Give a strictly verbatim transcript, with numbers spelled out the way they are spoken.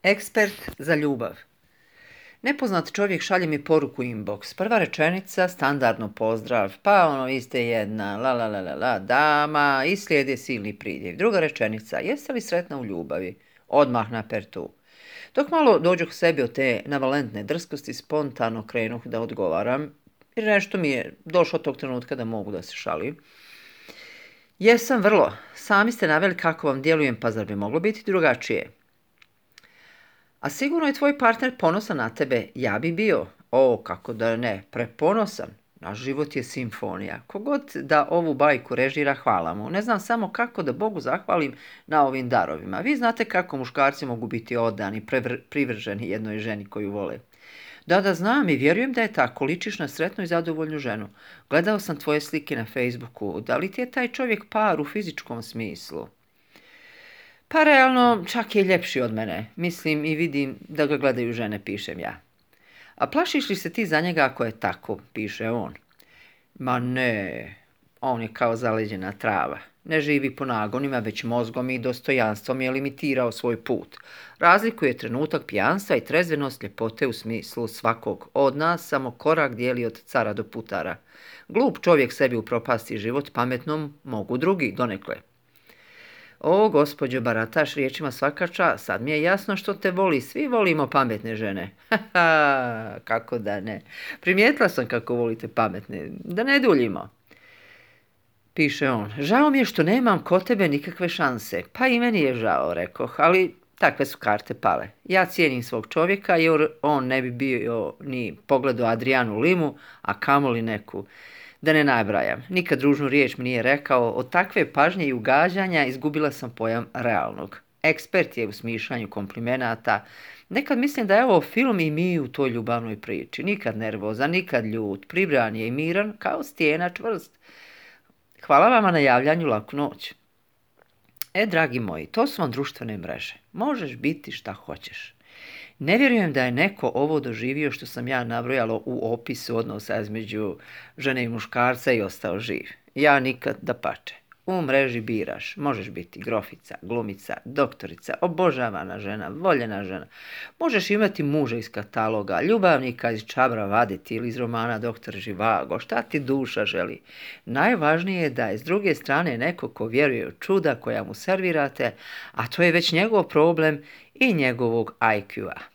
Ekspert za ljubav. Nepoznat čovjek šalje mi poruku inbox. Prva rečenica, standardno pozdrav, pa ono vi ste jedna, la la la la la, dama, i slijedi silni pridjev. Druga rečenica, jeste li sretna u ljubavi? Odmah na pertu. Dok malo dođu k sebi od te navalentne drskosti, spontano krenuh da odgovaram, jer nešto mi je došlo tog trenutka da mogu da se šalim. Jesam vrlo, sami ste naveli kako vam djelujem, pa zar bi moglo biti drugačije? A sigurno je tvoj partner ponosan na tebe, ja bi bio. O, kako da ne, preponosan. Naš život je simfonija. Kogod da ovu bajku režira, hvala mu. Ne znam samo kako da Bogu zahvalim na ovim darovima. Vi znate kako muškarci mogu biti odani, prevr- privrženi jednoj ženi koju vole. Da, da znam i vjerujem da je tako, ličiš na sretnu i zadovoljnu ženu. Gledao sam tvoje slike na Facebooku, da li ti je taj čovjek par u fizičkom smislu? Pa realno, čak je ljepši od mene. Mislim i vidim da ga gledaju žene, pišem ja. A plašiš li se ti za njega ako je tako, piše on. Ma ne, on je kao zaleđena trava. Ne živi po nagonima, već mozgom i dostojanstvom je limitirao svoj put. Razlikuje trenutak pijanstva i trezvenost ljepote u smislu svakog od nas, samo korak dijeli od cara do putara. Glup čovjek sebi upropasti život, pametnom mogu drugi donekle. O, gospođo, barataš riječima svaka čast, sad mi je jasno što te voli, svi volimo pametne žene. Haha, kako da ne. Primijetila sam kako volite pametne, da ne duljimo. Piše on, žao mi je što nemam kod tebe nikakve šanse. Pa i meni je žao, rekoh, ali takve su karte pale. Ja cijenim svog čovjeka jer on ne bi bio ni pogledao Adrijanu Limu, a kamoli neku. Da ne nabrajam, nikad ružnu riječ mi nije rekao, od takve pažnje i ugađanja izgubila sam pojam realnog. Ekspert je u smišljanju komplimenata. Nekad mislim da je ovo film i mi u toj ljubavnoj priči. Nikad nervozan, nikad ljut, pribran je i miran, kao stijena čvrst. Hvala vama na javljanju, laku noć. E, dragi moji, to su vam društvene mreže. Možeš biti šta hoćeš. Ne vjerujem da je neko ovo doživio što sam ja nabrojala u opisu odnosa između žene i muškarca i ostao živ. Ja nikad, dapače. U mreži biraš, možeš biti grofica, glumica, doktorica, obožavana žena, voljena žena. Možeš imati muža iz kataloga, ljubavnika iz Čabra vaditi ili iz romana Doktor Živago, šta ti duša želi. Najvažnije je da je s druge strane neko ko vjeruje u čuda koja mu servirate, a to je već njegov problem i njegovog I Q-a.